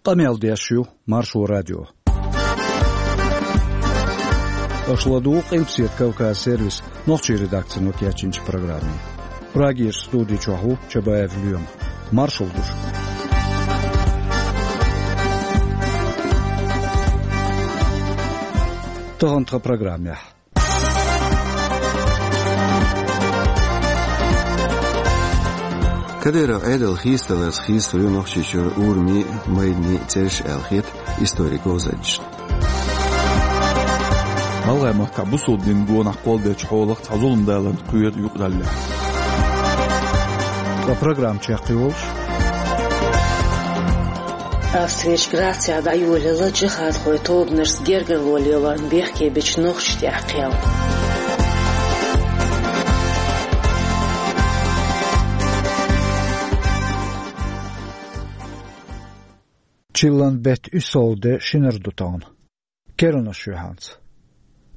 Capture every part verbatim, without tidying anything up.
Къамел деш ю Маршо радио. Аша ладугӀу Къилбаседа Кавказ сервисан нохчийн редакцино кечйинчу программе. Прагерчу студи чохь ву Чабаев Лоьма. Маршалла ду шуьга. Тахана тхан программехь. Кадыров Ӏедал хийцадаларца хийцалур ю Нохчийчуьра урамийн а, майданийн а цӀераш аьлла хета историн говзанчашна. ГӀалгӀай махкахь бусалба динан гонах кхолладеллачу хьолах цхьа зулам даларна кхоьру юкъараллехь. Ткъа программа чекхйолуш. Австрерчу Грацехь дӀайолаелла джихадхойн тобанашца гергарло лелорна бехке бечу нохчашна тӀехь кхел. Чиллан беттан уьссалгӀа де шинара ду тахана. Керланаш юьхьанца.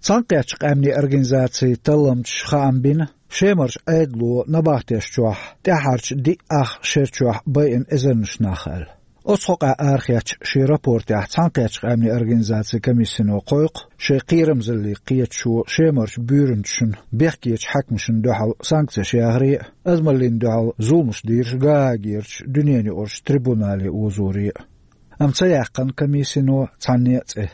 Цхьаьнакхеттачу къаьмнийн организацийн талламчаша хаам бина, Шемарчу Ӏедало набахтешна чохь тӀаьххьарчу диъ ах шер чохь байина эзарнаш нах аьлла. Оцу хьокъехь арахецначу шен рапортехь Цхьаьнакхеттачу къаьмнийн организацин комиссино кхойкху шайн кхерамзалле кхеташо Шемарчу буьйранчашна, бехкечу хьаькамашна дуьхьал санкцеш яхаре а, адамаллина дуьхьал зуламаш дийраш Гаагерчу дуьненаюкъарчу трибунале озоре а. Амма ца яьккхина комиссино цхьанне а цӀе.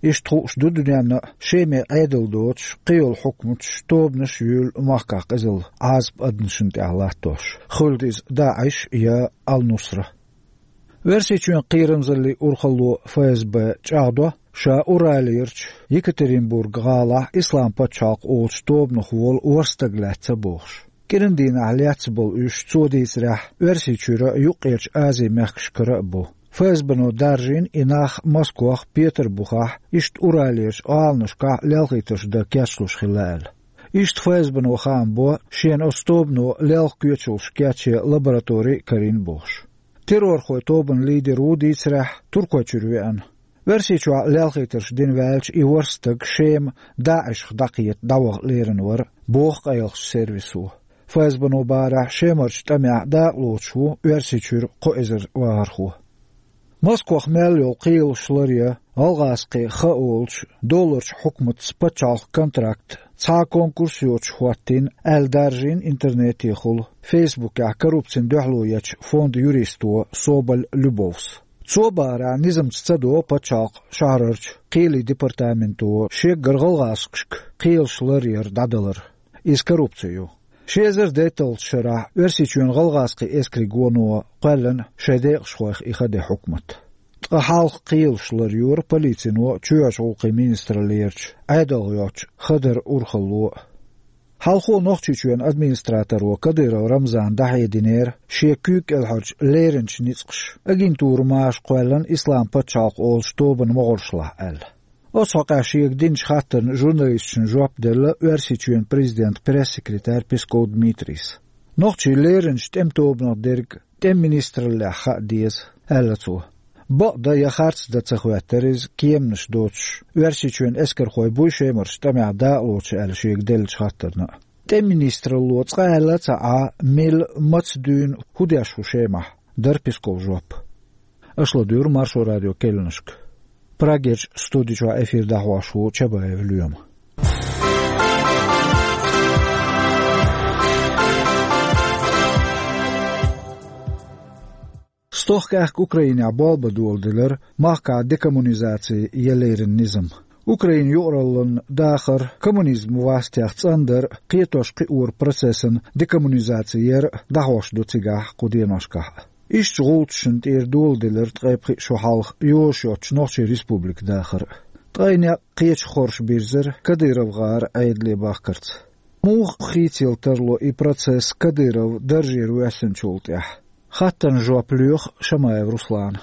Иштта хууш ду дуьненна а, Шеман Ӏедал доцуш, кхийолу хьукматаш, тобанаш а юьйлу махкахь къизалла Ӏазап адамашна тӀехь латтош, хуьлда иза ДаӀиш я Ал-Нусра. Оьрсийчоьнан кхерамзаллин урхалло ФСБ чӀагӀдо, ша Уралерчу Екатеринбург-гӀалахь Ислам-пачхьалкх олучу тобанах волу ворхӀ стаг лаьцна бохуш. КӀиран дийнахь лаьцна болу уьш, цо дийцарехь, Оьрсийчуьра а, Юккъерчу Азин мехкашкара а бу. ФСБ-но даржийна и нах Москвахь, Петарбухахь, иштта Уралерчу гӀаланашкахь лелхийтарш дан кечлуш хилла аьлла. Иштта ФСБ-но хаам бо, шена оцу тобано лелха коьчалш кечъен лаборатори а карийна бохуш. Террорхойн тобанан лидер ву, дийцарехь, Туркойчуьра веана. Оьрсийчохь лелхийтарш дина ваьлча, и ворхӀ стаг Шема ДаӀишах дӀакхета дӀаваха лерина вара, боху къайлахчу сервисо. ФСБ-но бахарехь, Шемарчу тӀамехь дакъалоцуш ву Оьрсийчуьра кхо эзар вахархо. Москвахь мел йолу кхелаш ларъян, гӀалгӀазкхийн хан олучу долларчу хьукматца пачхьалкхан контракт цхьа а конкурс йоцуш хӀоттийна аьлла, даржийна интернетехула Фейсбукехь коррупцина дуьхьало ечу фондан юристо Соболь Любовс. Цо бахарехь, низамца ца до пачхьалкхан шахьарарчу кхелийн департаменто шеггара гӀалгӀазкхашка кхелаш ларъяр дӀадалар. Иза коррупци ю. Ши эзар дейтталгӀачу шарахь Оьрсийчоьнан гӀалгӀазкхийн эскарийн гоно кхоьллина шайн декъашхойх и хан ден хьукмат. Ткъа хьалха кхелаш ларйора полицино, чоьхьарчу гӀуллакхийн министраллерчу Ӏедалх йоцчу хадаран урхалло а. Хьалхо Нохчийчоьнан администраторо Кадыров Рамзана дӀахьединера, шен куьйга кӀелхьарчу леринчу ницкъаша агентура маша кхоьллина Ислам-пачхьалкх олучу тобанан могӀаршлахь аьлла. Оцу хьокъехь шега динчу хаттарна журналисташна жоп делла Оьрсийчоьнан президентан пресс-секретарь Песков Дмитрийс. Нохчийн леринчу тӀеман тобанах дерг тӀеман министраллехь хаа деза, аьлла цо. Бакъдан я харцдан ца хӀоьттира иза, кеманаш доцуш, Оьрсийчоьнан эскархой буй Шемарчу тӀамехь дакъалоцуш аьлла шега деллачу хаттарна а. ТӀеман министралло цкъа аьлла а ца Ӏа, мила, маца дуьйна, хӀун деш ву Шемахь, дара Песковн жоп. Аша ладуьйгӀура Маршо радион керланашка. Прагерчу студи чохь эфир дӀахьош ву Чабаев Лоьма. Стохка аьхка Украинехь болх бан доладелира махкахь декоммунизаци я леррина низам. Украинан юкъараллин дахар, коммунизм вастех цӀандар, кхетош-кхиоран процессан декоммунизаци яр а дӀахьош ду цигахь кху деношкахь а. Ишттачу гӀулчашна тӀера доладелира ткъе пхиъ шо хьалха йозуш йоцчу Нохчийн Республикан дахар а. Ткъе некъ кхечу хорша бирзира Кадыров-гӀаран Ӏедале бахкарца. Муха хийцаелла тарло и процесс Кадыров даржера воьссинчул тӀаьхьа? Хаттарна жоп лоьху Шамаев Руслана.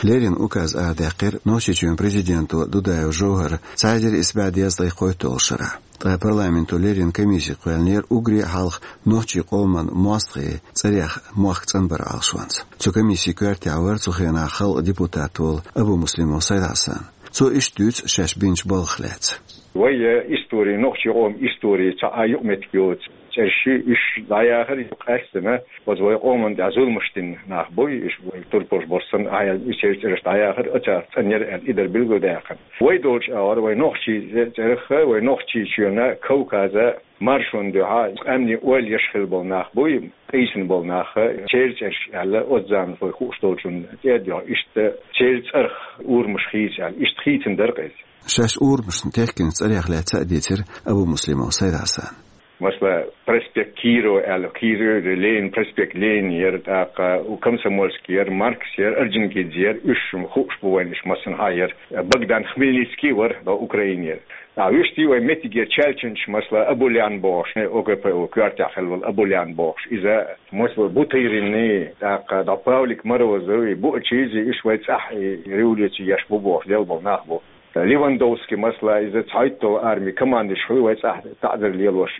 Леррина указ арадаьккхира Нохчийчоьнан президенто Дудаев ЖовхӀара цхьа эзар исс бӀе дезткъе кхойтталгӀачу шарахь. Ткъа парламенто леррина комисси кхоьллинера уггаре а хьалха нохчийн къоман мостагӀийн цӀарех мохк цӀанбаран Ӏалашонца. Цу комиссин коьртехь вара цу хенахь халкъан депутат волу Абумуслимов Сайд-Хьасан. Цо иштта дуьйцу шаьш бинчу балхах лаьцна. Вай, э, истори, нохчийн къоман истори цхьа а юкъаметтиг йоцу, Ши иш дӀаяхар къаьстина, оцу вай къоман тӀехь зуламаш дина нах буй, иш вай турпалш болуш санна, ахьа и церан цӀераш дӀаяхар, оцарах цӀанъяра аьлла, и дара билгалдаьккхина. Вай долчу агӀор, вай нохчий цӀерах, вай Нохчийчоьнан, Кавказан маршонна дуьхьа къаьмнийн ойла еш хилла болу нах буй, къийсина болу нах, церан цӀераш аьлла, оцу заманахь вай хууш долчунна тӀе а доьгӀна, иштта церан цӀарах урамаш хийца аьлла, иштта хийцина дара-кх иза. Шаьш урамашна техкинчу цӀарех лаьцна а дийцира Абумуслимов Сайд-Хьасан. Масала, проспект Кирова аьлла, Кирова, Ленин, проспект Ленин яра, тӀаккха у Комсомольский яра, Маркс яра, Орджоникидзе яра, уьш хууш бу вайна, уьш массанхьа яра. Богдан Хмельницкий вара, до Украины яра. А вуьшта вай меттигера чаьлчинчу, масала, Абулян бохуш, ОГПУ коьртехь хилла волу Абулян бохуш. Иза, масала, Бутыринний, тӀаккха до Павлик Морозовый, Буачизи, уьш вай цӀахь и революци еш бу бохуш, лелла болу нах бу. Левандовский, масала, иза цхьайтталгӀа армин командующий хуьлу, вай цӀахь таӀзар лелош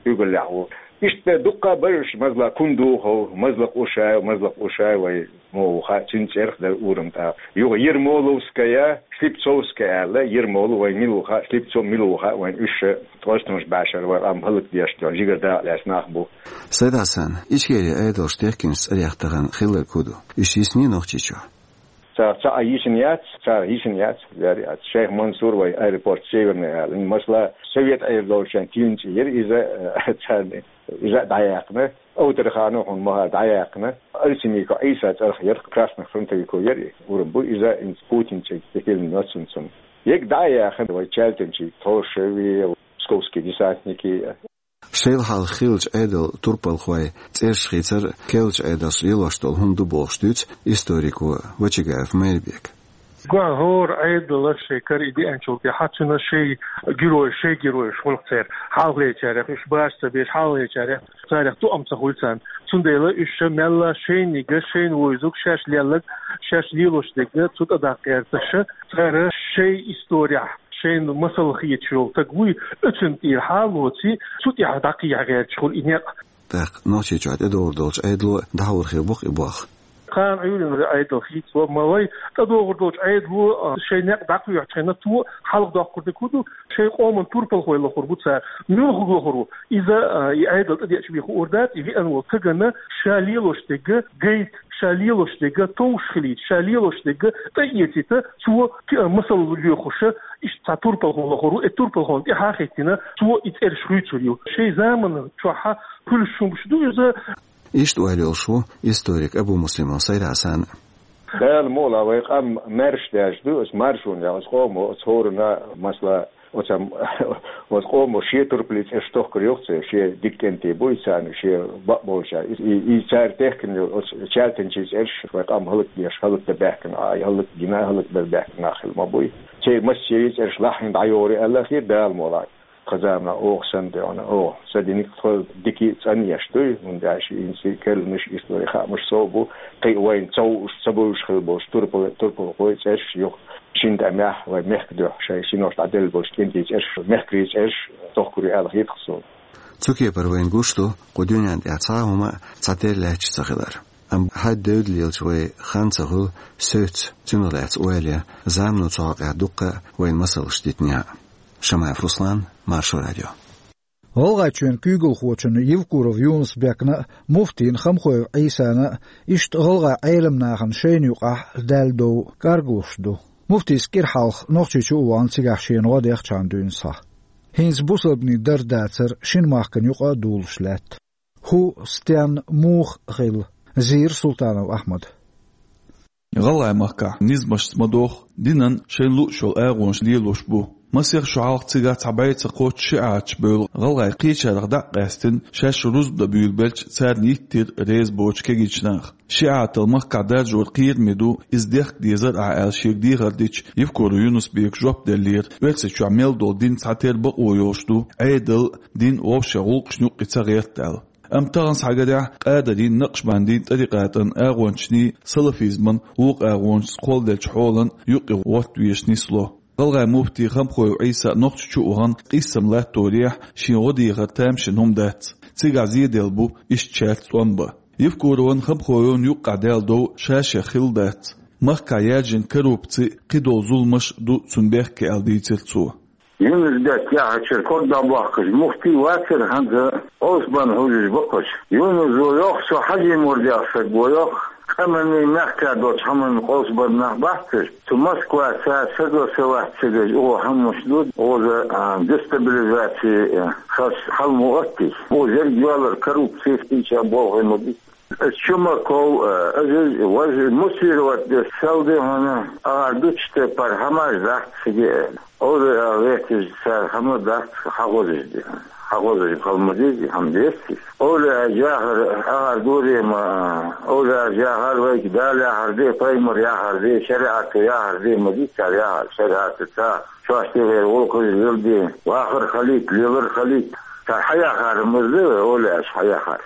куьйгаллехь ву. Иштта дуккха а бара уьш, масала, Кундухов, Мазлакъ Ушаев, Мазлакъ Ушаев вай муха ву хаьа, цуьнан цӀерах дара урам тӀаккха. Юха Ермоловская, Слепцовская аьлла, Ермолов вай мила ву хаьа, Слепцов мила ву хаьа вайн, уьш ткъостанаш башар вай къам хӀаллакдеш, жигара дакъа лаьцна нах бу. Сайд-Хьасан, Ичкерин Ӏедалш техкинчу цӀарех тахана хилларг хӀун ду? Уьш йисний Нохчийчохь? Цара цхьа а йисина яц, цара йисина яц, лер яц. Шайх Мансур вай аэропорт Северный аьлла. Масала, совет Ӏер долчу шайн тиюнца яра иза, э, царна, иза а дӀаяьккхина. Овтарханов хьуна маха дӀаяьккхина. Алсимиков Ӏийса цӀарах яра, красных фронтовиков яра и, урам бу иза, инца Путин цӀе тӀе хилла ноцун цунна. Ега дӀа а яьхна, вай чаьлтинчий Тхошеви, псковский десантники. Шайла хьалха хиллачу Ӏедал турпалхой цӀераш хийцар керлачу Ӏедалш лелош долу хӀума ду бохуш дуьйцу историко Вачагаев Майрбека. Гуьгур Ӏедалш шайн кара и деанчул тӀаьхьа цуьнан шайн герой, шайн геройш хуьлу церан. Хьалхалечарех уьш баш ца беш, хьалхалечарех царех тоам ца хуьлу царна. Цундела уьш ша мелла шайниг, шайна вуьйзург, шаьш лелларг, шаьш лелош дерг цу тӀе даккха гӀерташ, цара шайн историхь шайна масал хеташ йолу стаг вуй, оьцунна тӀера хьалоций, цу тӀехь дӀакхехьа гӀерташ хуьлу и некъ. ТӀаккха Нохчийчохь тӀедогӀур долчу Ӏедало дӀахьур хир бу-кх и болх. Кхана Ӏуьйранна Ӏедал хийцало, ма вай, тӀедогӀур долчу Ӏедало, а, шайн некъ дӀакхоьхьучхьана, цо хьалха доккхур дерг хӀун ду, шайн къоман турпалхой лохур бу цара. Муьлха лохур ву? Иза, а, и Ӏедал тӀедеача бен хуур дац, и веана волу стагана ша лелош дерг гайта, ша лелош дерг товш хилийта, ша лелош дерг тӀеэцийта, цо кхин а масал лоьхуш, иштта цхьа турпалхо лохур ву, и турпалхонна тӀаьхьа а хӀиттина, цо и цӀераш хуьйцур ю. Шайн заманан чохь хуьлуш хӀумаш ду иза. Иштта ойла йолуш ву историк Абумуслимов Сайд-Хьасан. Дала мукъалахь, вай къам маьрша даьржа ду, оцу маршонехь, оцу къомо, оцу хӀоранна, масала, оцу, оцу къомо шен турпалан цӀераш тохкур ю-кх церан, шен дика кӀентий буй царна, шен бакъболчарна. И, и, и цара техкина йолу оцу чаьлтинчийн цӀераш вай къам хӀаллакдеш, хӀаллакдан баьхкина, а, хӀаллакдина, хӀаллакбар баьхкина нах хилла ма буй. Церан массеран цӀераш лахьийна дӀайогӀур ю аьлла хир Дала мукъалахь. Кху заманахь оха санна дуьйна, оха ца динарг тхо дика а цӀанъеш дуй, хӀунда аьлча хӀинца керланаш, историн хаамаш сов бу, кхин а вайна ца хууш, ца бовзуш хилла болчу турпал-, турпалхойн цӀераш юха шина тӀамехь вайн мехкан дуьхьа шайн синош дӀаделла болчу кӀентийн цӀераш, мехкарийн цӀераш тохкур ю аьлла хета-кх суна. Цу кепара вайна гуш ду кху дуьнен тӀехь цхьа а хӀума цхьатерра лаьтташ ца хилар. Амма хьаьдда девдда лелачу вайн хан ца хуьлу севцца цунах лаьцна ойла ян, замано цу хьокъехь дуккха а вайна масалш дитинехь а. Шамаев Руслан, Маршо радио. ГӀалгӀайчоьнан куьйгалхочунна Евкуров Юнус-Бекна а, муфтийна Хамхоев Ӏийсана а, иштта гӀалгӀай Ӏелам нахана шайна юкъахь даьлла дов кӀаргалуш ду. Муфтис кӀира хьалха Нохчийчу а вахана, цигахь шена гӀо даьхначарна дуьйна схьа. ХӀинца бусалбанийн дар-дацар шина махкана юкъа а дулуш лаьтта. ХӀун, стенна, муха хилла, зийра Султанов Ахьмада. ГӀалгӀай махкахь низамашца ма догӀу, динан шайна лууш йолу агӀонаш лелош бу. Масех шо хьалха цигахь цхьа бӀе ца кхоччуш шиӀаташ бевлла гӀалгӀай кхечарах дӀа а къаьстина, шаьш рузба дан буьйлабелча, царна йиттира реза боцуш кегийчу наха. ШиӀатал махкахь даржор кхераме ду, иза дехка дезара ахь аьлла шега дехар дича, Евкуров Юнус-Бека жоп деллера, Оьрсийчохь мел долу дин цхьатерра бакъо йолуш ду, Ӏедал, дин вовшех гӀуллакхашна юккъе ца гӀерта аьлла. Амма тахана схьагарехь, Къадарийн, Накъшбандийн тӀарикъатан агӀончашний, салафизман вукху агӀонашца кхолладеллачу хьолан юккъе гӀотта везаш нисло. ГӀалгӀай муфти Хамхоев Ӏийса Нохчийчу а вахана, къийсам латторехь, шен гӀо дехар тамашийна хӀума дац. Цигахь зеделла бу иштта шаьрца тӀом бан. Евкуровн, Хамхоевн юккъехь даьлла дов ша-шех хилла дац. Махкахь яьржина коррупци, кхидолу зуламаш а ду цунна бехке аьлла дийцира цо. Юнус-Бек яхьачара ког дӀабохкуш муфти вацара хӀанза, Къовсабарна хьожаш ба кхоъ. Юнус йоах, цу Хьажимурдах саг ва йоах, къаманна мехка долча хӀаманна къовсабарна нах бац уж. Цу Москваца саг а, са вац саг а, угӀо хӀамаш ду, оза, а, дестабилизаци, а, хас хьалмо оттий. Оза ерг йоалар коррупци, хинча болхой ма ди. Чумаков, а, Азиз, важ мутировать де сел де хьона, а дучте пар хӀамаш дац сиге. Ола а ветиж цар хӀама дац хьахозаш де. Хьахозаш халма дизи, хӀама дести. Ола а жахар, ахар дуре ма, ола а жахар вайк Дала яхар де, паймар яхар де, шариат яхар де, ма ди цар яхар, шариат ца. Чош тевер, волхуж лил де, вахар халит, лилар халит. Цар хьаяхар мазле, ола аш хьаяхар.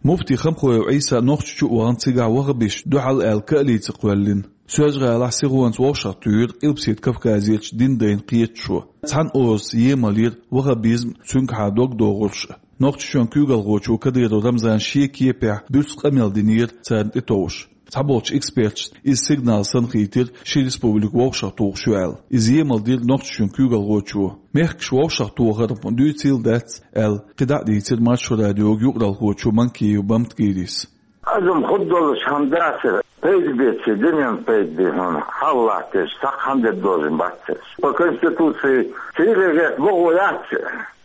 Муфти Хамхоев Ӏийса Нохчийчу а вахана, цигахь ваххабисташ дуьхьал аьлла каалийца кхоьллина. Соьлжа-ГӀалахь сихонца вовшахтуьйра Къилбаседа Кавказерчу дин дайна кхеташо. Цхьана озаца емал йира ваххабизм, цуьнгахьа дог догӀурш а. Нохчийчоьнан куьйгалхочо Кадыров Рамзана шен кепехь буьрса къамел динера царна тӀетовжаш. Цхьаболчу эксперташна иза сигнал санна хийтира ши республика вовшахтухуш ю аьлла. Иза емал дира Нохчийчоьнан куьйгалхочо. Мехкаш вовшахтохар-м дуьйцийла дац аьлла, кхидӀа а дийцира Маршо радиога юкъаралхочо Манкиев Бамтгирис. Азам хӀуд долуш хӀама дацара, пайда беце, дуьненна пайда бе хьуна, хьалалаттеш, цхьаккха хӀама де дозун баццеш. По Конституции цигара гӀерта бохо яц,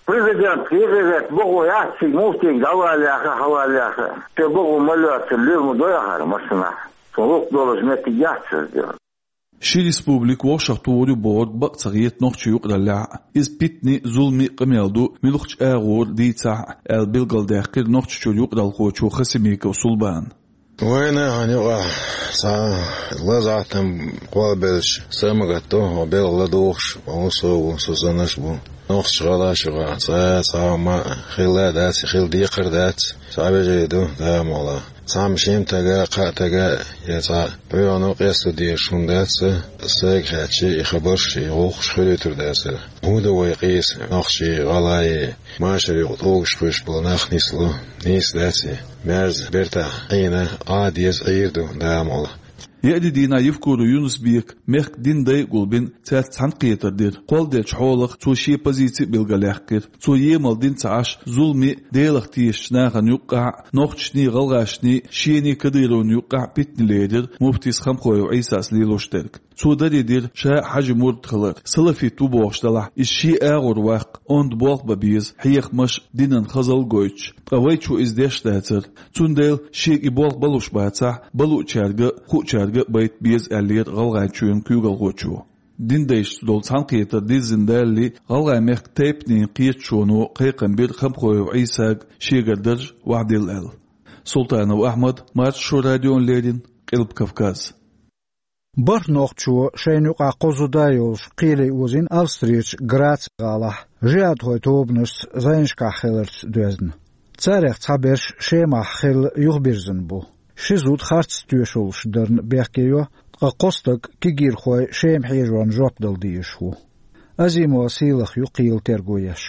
президент цигара гӀерта бохо яц, цига муфтига дӀаваллеха, хьаваллеха. Те бохо ма лоьцур, лир ма дой ахьара массанахь. Цу гӀуллакх долуш меттиг яц иза. Ши республика вовшахтухур ю бохург бакъ ца хета нохчийн юкъараллехь а. Иза питане а, зуламе а къамел ду, муьлххачу агӀор дийцахь а, аьлла билгалдаьккхира Нохчийчуьра юкъаралхочо Хасимиков Сулбана. Вайна хьан юкъахь цхьа лазахь там кхолбелча, са ма гатдо, хьо белгӀа ладугӀуш, хьо ву со ву, со санаш бу. Нохчийн гӀалаш юкъахь цхьа а цхьа а хӀума хилла а дац, хила декхар а дац. Цхьа вежарий ду, Дала мукъ лахь. Цхьамма шен тага, кхаа тага, я цхьа пхьоьгӀано къесто дезаш хӀума дац, сайга хаьттича, и хабарш, и гӀуллакхаш хуьлуьйтур дацара. ХӀун ду вай къийса, нохчий, гӀалгӀай, машар юкъа тӀулгаш кхуьйсуш болу нах нисло? Нийса дац и. Маьрза бертахь Ӏийна, Ӏа деза Ӏийр ду, Дала мукъ лахь. Еарин дийнахь Евкуров Юнус-Бека мехкан дин дай а гулбина, цаьрца цхьаьнакхетар дира. Кхолладелчу хьолах цо шен позици а билгалъяьккхира. Цо емал дина ца Ӏаш, зуламе а, Делах тешачу нахана юккъахь а, нохчашний, гӀалгӀашний, шений, Кадыровн юккъахь а питане лерира муфтис Хамхоев Ӏийсас лелош дерг. Цо даре дира ша а Хьажин мурд хилар, салафит ву бохуш делахь, иза шен агӀор ваккха, онда болх бан беза, хьехамаш а, динан хазалла а гойтуш. Ткъа вайчо иза деш дацара. Цундела шега и болх балуш бацахь, балуучаьрга а, хуучаьрга а байта беза, аьллера ГӀалгӀайчоьнан куьйгалхочо. Дин дайшца долу цхьаьнакхетар дирзина далале, ГӀалгӀай-мехкан тайпанийн кхеташоно кхайкхам бира Хамхоев Ӏийсага шегара дарж вахьдилла аьлла. Султанов Ахьмад, Маршо радиона леррина, Къилба Кавказ. БархӀ нохчо шайна юкъахь кхо зуда а йолуш кхеле озийна Австрерчу Граци-гӀалахь, жихӀадхойн тобанашца зӀенашкахь хиларца доьзна. Царех цхьаберш Шемахь хилла юхабирзина бу. Ши зуда харц тоьшаллаш дарна бехке йо, ткъа кхо стаг кегийрхой Шема хьежорна жоп дала дезаш ву. Азимова Сийлаха ю кхелан терго еш.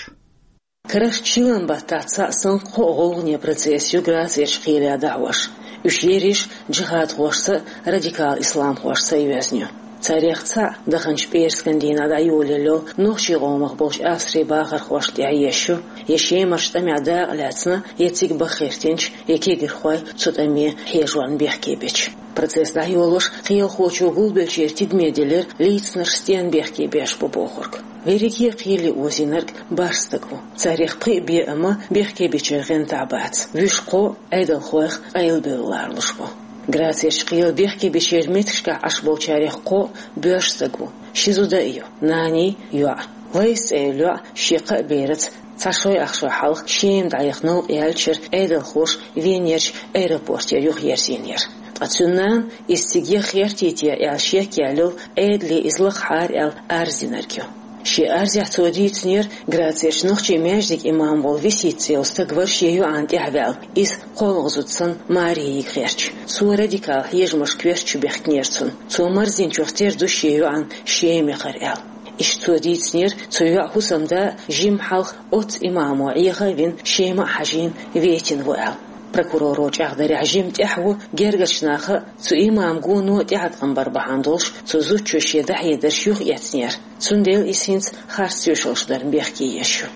Карарчу шина баттахь цхьаъ санна кхо гӀулгӀане процесс ю Грацерчу кхеле дӀахьош. Уьш ерриш а джихадхошца а, радикал исламхошца а йоьзна ю. Царех цхьаъ, даханчу пӀераскан дийнахь дӀайолаелла йолу нохчийн къомах болчу Австрин бахархошна тӀехь езаш ю, я Шемарчу тӀамехь дакъа лаьцна, я цига баха гӀиртинчу, я кегийрхой цу тӀаме хьежорна бехке бечу. Процесс дӀайолош кхелахочо гулбеллачеран тидаме делира, лийцинарш стенна бехке беш бу бохург. Берриге а кхеле озийнарг бархӀ стаг ву. Царех пхиъ бен а ма бехке бечеран гӀантахь бац. Вуьш кхо а Ӏедалхойх къайлабевлла ларалуш бу. Грацерчу кхеле бехке бечеран меттигашкахь Ӏаш болчарех кхо а боьрша стаг ву. Ши зуда а ю: наний, йоӀ. Лайс цӀе йолу йоӀ шен кхаа бераца цхьа шой-ах шо хьалха Шема дӀаяхана новкъа яьллачу шарахь Ӏедалхоша Венерчу аэропортера юхаерзийнера. Ткъа цуьнан нана, иза цига яха гӀертий те аьлла шек яьлла йолу, Ӏедале иза лакхахьара аьлла арз динарг ю. Шен арзехь цо дийцинера, Грацерчу нохчийн маьждиган имам волу Висица йолу стаг вара шен йоӀана тӀаьхьаваьлла, иза кхоалгӀа зуда санна маре йига гӀерташ. Цо радикал хьежамашка коьртачу бехкинера цунна. Цо марздинчух тера ду шен йоӀана Шема яхар аьлла. Иштта цо дийцинера, цу йоӀан хӀусамда жимма хьалха оццу имамо Ӏеха а вина, Шема а хьажийна, ветина ву аьлла. Прокуроро чӀагӀдарехь, жимма тӀаьхьа ву гергарчу наха а, цу имаман гоно а тӀеӀаткъам бар бахьана долуш, цу зудчо шен дӀахьедарш юхаэцнера. Цундела иза хӀинца харц тоьшаллаш дарна бехке езаш ю.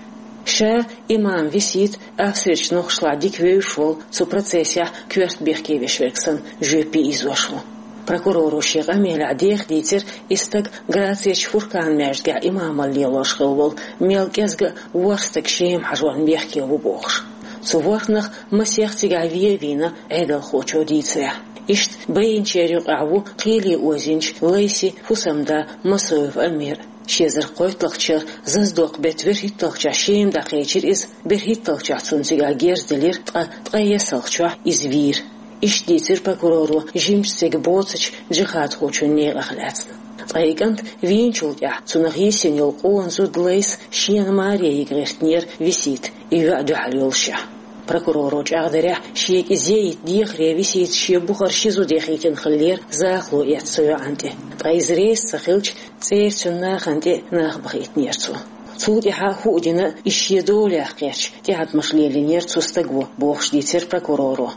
Ша имам Висит Австрерчу нохчашлахь дика вевзаш волу, цу процессехь коьрта бехке веш верг санна жоьпе ийзош ву. Прокуроро шен къамелехь деха дийцира, и стаг Грацерчу Фуркан-маьждигехь имамалла лелош хилла волу, мел кӀезга а ворхӀ стаг Шема хьажорна бехке ву бохуш. Цу ворхӀанах масех цигахь вен а вийна, Ӏедалхочо дийцарехь. Иштта байинчеран юкъахь ву кхеле озийначу Лайсин хӀусамда Масоев Амир. Ши эзар кхойтталгӀачу шарахь зазадоккху беттан берхӀитталгӀачохь Шема дӀакхечира иза, берхӀитталгӀачохь цунна цигахь герз делира, ткъа ткъе ессалгӀачохь иза вийра. Иштта дийцира прокуроро жимачу стеган боцучу джихадхочун некъах лаьцна. Ткъа и кӀант вийначул тӀаьхьа цунах йисина йолу къона зуда Лайса шена маре йига гӀиртинера Висита, и йоӀ дуьхьал йолушехь. Прокуроро чӀагӀдарехь, шега иза яйта дехаре Висита шен бухара ши зуда яхийтина хиллера, захало эцна цу йоӀана тӀе. Ткъа иза реза ца хилча, цӀера цуьнан нахана тӀе нах бахийтинера цо. Цул тӀаьхьа хӀуъа дина иза шен долех кхерча, тӀеӀаткъамаш лелийнера цу стага, бохуш дийцира прокуроро.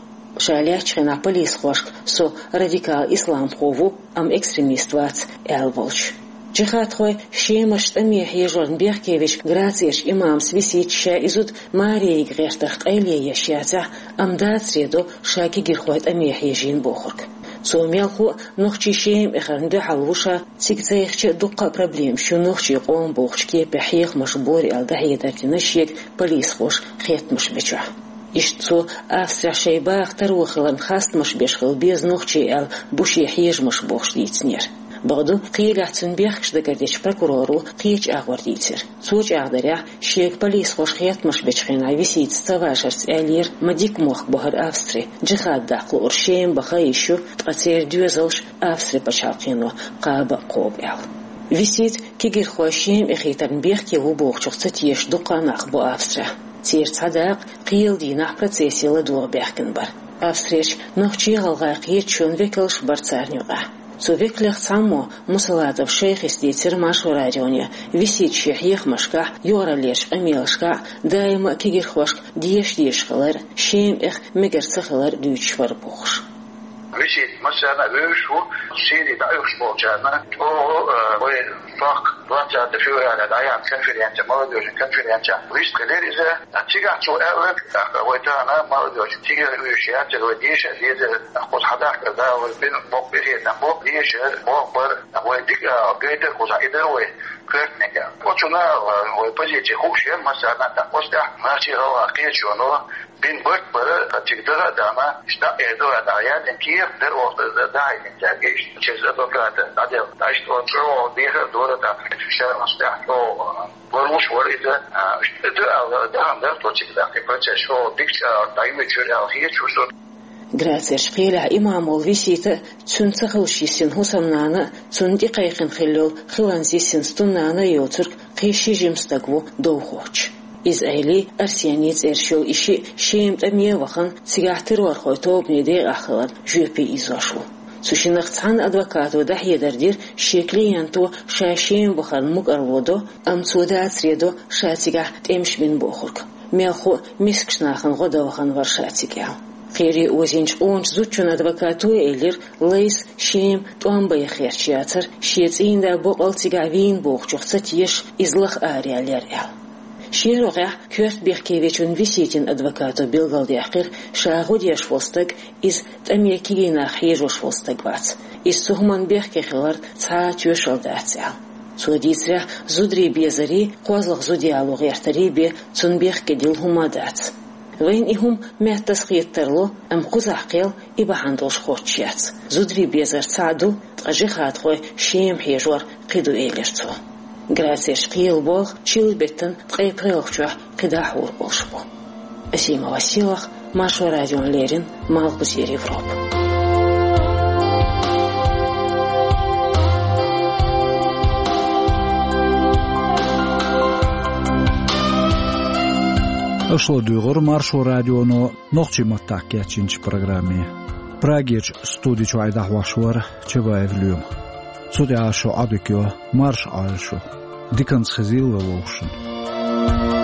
Ша лаьттачу хенахь полисхошка со радикал исламхо ву, амма экстремист вац, аьлла волчу. Джихадхой Шемахь тӀаме хьежорна бехке вечу Грацерчу имамас Виситас ша и зуда маре йига гӀертарх къайле еш яцахь, амма дацаре до ша кегирхой тӀаме хьежийна бохург. Цо мелхо а нохчий Шема эхарна дуьхьал ву ша, цига цайхича а дуккха а проблемаш ю нохчий къоман бохучу кепехь хьехамаш бора аьлла дӀахьедар дина шега полисхоша хеттамаш бечохь. Иштта цо Австрехь шайн баха таро хиларна хастамаш беш хила беза нохчий аьлла бу шен хьежамаш бохуш дийцинера. Бакъду, кхелехь цуьнан бехкаш дагардечу прокуроро кхечу агӀор дийцира. Цо чӀагӀдарехь, шега полисхоша хеттамаш бечу хенахь Виситас ца вашарца аьллера, ма дика мохк бу хӀара Австри, джихад даккха луург Шема баха йиш ю, ткъа церан доьзалш Австри пачхьалкхено кхаба а кхобу аьлла. Висита кегирхой Шема эхийтарна бехке ву бохучух ца тешаш дуккха а нах бу Австрехь. Церан цхьа дакъа кхелан дийнахь процессе ладогӀа баьхкина бара. Австрерчу нохчий-гӀалгӀай кхеташонан векалш бара царна юкъахь. Цу векалех цхьаммо, Мусалатов Шайхис, дийцира Маршо радионе, Висита шен хьехамашкахь, юкъараллерчу къамелашкахь даима а кегирхошка дешаш-дешаш хилар, Шема эха мегар ца хилар дуьйцуш вара бохуш. Висита массарна а вевзаш ву, Сири дӀаоьхуш болчарна чӀогӀа, э, вай сох двадцатого февраля дӀаяьхьна конференция, молодёжная конференция, вистхилира иза. А цигахь цо аьлла, тӀаккха вай тахана молодёжь цига вуьйш яцара, вай деша а дезара, кхуза хьадахкар да, вай бина боккха къинхетам бу, деша боху бара, вай дика а гайтара кхузахь, и дара вай коьртаниг. Оцунна вай позиция хууш яра массарна а, тӀаккха оцу тӀехь нохчий-гӀалгӀай кхеташоно бина барт бара, цига даха а дахана, иштта дӀа а, э, дӀа а яздина кехат дара оха дӀахьаьжначаьрга, иштта через адвоката дӀаделла. Иштта оцу чӀогӀа дехар а дора тӀаккха, шаьш оцу тӀехь чӀогӀа ларлуш вара иза, а, иштта ду аьлла, дахана дара тхо цига тӀаккха, и процесс чӀогӀа дика чӀагӀ дӀайоьдуш яра аьлла хеташ ву со. Грацерчу кхелехь имам волу Висита а, цуьнан ца хуьлуш йисина хӀусамнана а, цунна тӀекхайкхина хилла йолу хиланца йисина стуннана а йоцург кхин ши жима стаг ву довхочуш. Иза Ӏели, Арсений цӀераш йолу и шиъ Шема тӀаме а вахана, цигахь террорхойн тобанан декъахь хиларна жоьпе ийзош ву. Цу шиннах цхьана адвокато дӀахьедар дира, шен клиенто ша Шема вахарна мукӀарло до, амма цо дацаре до ша цигахь тӀемаш бина бохург. Мелхо а мискачу нахана гӀо дан вахана вара ша цига аьлла. Кхеле озийначу къоначу зудчун адвокато а элира, Лайса Шема тӀом бан яхарца яцара, шен цӀийнда боккъал цигахь вийна бохучух ца тешаш, иза лаха араяьллера аьлла. Шен рогӀехь коьрта бехке вечун Виситин адвокато билгалдаьккхира, ша гӀо деш волу стаг иза тӀаме кегий нах хьежош волу стаг вац. Иза цу хӀуманна бехке хиларна цхьа а тоьшалла дац аьлла. Цо дийцарехь, зударий безарий, кхозлагӀа зуда яло гӀертарий бен цунна бехке дилла хӀума а дац. Вайна и хӀума меттаза хета тарло, амма кхузахь кхел и бахьана долуш хоттуш яц. Зударий безар цхьаъ ду, ткъа джихадхой Шема хьежор кхин ду, элира цо. Грацерчу кхелан болх чиллан беттан ткъе пхоьалгӀачохь кхидӀа хьур болуш бу. Асимова Селах, Маршо радиона леррина, Малхбузера Европа. Аша ладуьйгӀура Маршо радионо нохчийн маттахь кечйинчу программе. Прагерчу студи чуьра дӀахьош вара Чабаев Лоьма. Цу тӀехь шун Ӏодика йо, марша Ӏойла шу. Диканца хезийла вовшашна.